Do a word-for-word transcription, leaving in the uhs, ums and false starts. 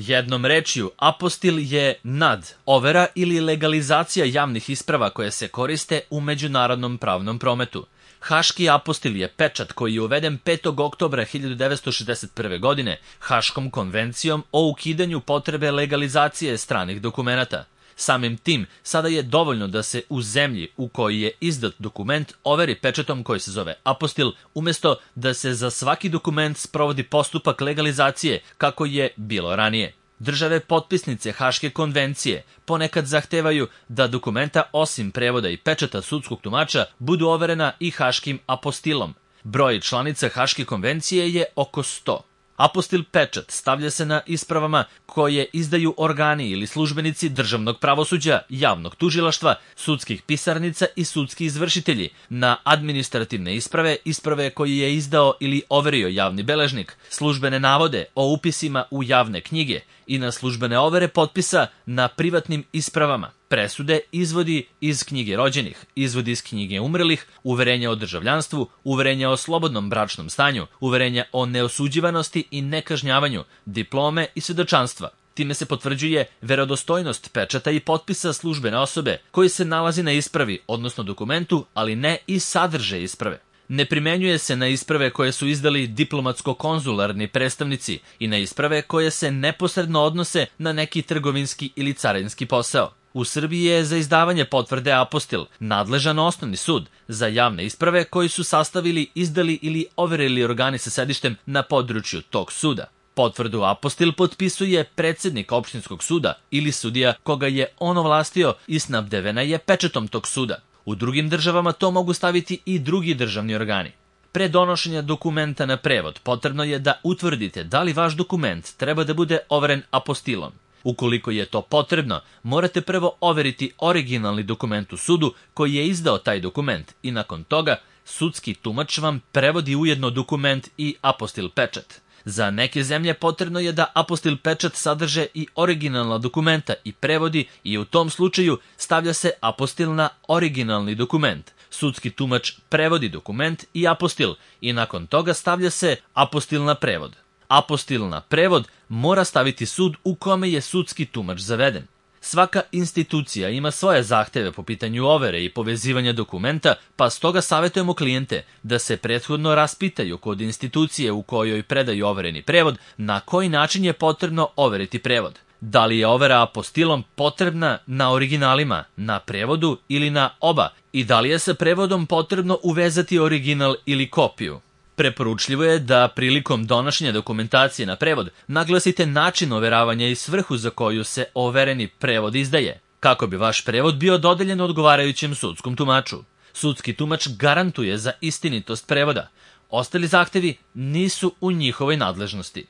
Jednom rečju, apostil je nad, overa ili legalizacija javnih isprava koje se koriste u međunarodnom pravnom prometu. Haški apostil je pečat koji je uveden petog oktobra hiljadu devetsto šezdeset prve. godine Haškom konvencijom o ukidanju potrebe legalizacije stranih dokumenata. Samim tim, sada je dovoljno da se u zemlji u kojoj je izdat dokument overi pečatom koji se zove apostil, umjesto da se za svaki dokument sprovodi postupak legalizacije kako je bilo ranije. Države potpisnice Haške konvencije ponekad zahtevaju da dokumenta osim prevoda i pečata sudskog tumača budu overena i haškim apostilom. Broj članica Haške konvencije je oko sto. Apostil pečat stavlja se na ispravama koje izdaju organi ili službenici državnog pravosuđa, javnog tužilaštva, sudskih pisarnica i sudski izvršitelji, na administrativne isprave, isprave koje je izdao ili overio javni beležnik, službene navode o upisima u javne knjige i na službene overe potpisa na privatnim ispravama, presude, izvodi iz knjige rođenih, izvodi iz knjige umrlih, uverenja o državljanstvu, uverenja o slobodnom bračnom stanju, uverenja o neosuđivanosti i nekažnjavanju, diplome i svedočanstva. Time se potvrđuje verodostojnost pečata i potpisa službene osobe koji se nalazi na ispravi, odnosno dokumentu, ali ne i sadržaj isprave. Ne primenjuje se na isprave koje su izdali diplomatsko-konzularni predstavnici i na isprave koje se neposredno odnose na neki trgovinski ili carinski posao. U Srbiji je za izdavanje potvrde apostil nadležan osnovni sud za javne isprave koji su sastavili, izdali ili overili organi sa sedištem na području tog suda. Potvrdu apostil potpisuje predsednik opštinskog suda ili sudija koga je on ovlastio i snabdevena je pečatom tog suda. U drugim državama to mogu staviti i drugi državni organi. Pre donošenja dokumenta na prevod potrebno je da utvrdite da li vaš dokument treba da bude overen apostilom. Ukoliko je to potrebno, morate prvo overiti originalni dokument u sudu koji je izdao taj dokument i nakon toga sudski tumač vam prevodi ujedno dokument i apostil pečat. Za neke zemlje potrebno je da apostil pečat sadrže i originalna dokumenta i prevodi i u tom slučaju stavlja se apostil na originalni dokument. Sudski tumač prevodi dokument i apostil i nakon toga stavlja se apostil na prevod. Apostil na prevod mora staviti sud u kome je sudski tumač zaveden. Svaka institucija ima svoje zahteve po pitanju overe i povezivanja dokumenta, pa stoga savjetujemo klijente da se prethodno raspitaju kod institucije u kojoj predaju overeni prevod na koji način je potrebno overiti prevod. Da li je overa apostilom potrebna na originalima, na prevodu ili na oba i da li je sa prevodom potrebno uvezati original ili kopiju. Preporučljivo je da prilikom donošenja dokumentacije na prevod naglasite način overavanja i svrhu za koju se overeni prevod izdaje, kako bi vaš prevod bio dodeljen odgovarajućem sudskom tumaču. Sudski tumač garantuje za istinitost prevoda. Ostali zahtevi nisu u njihovoj nadležnosti.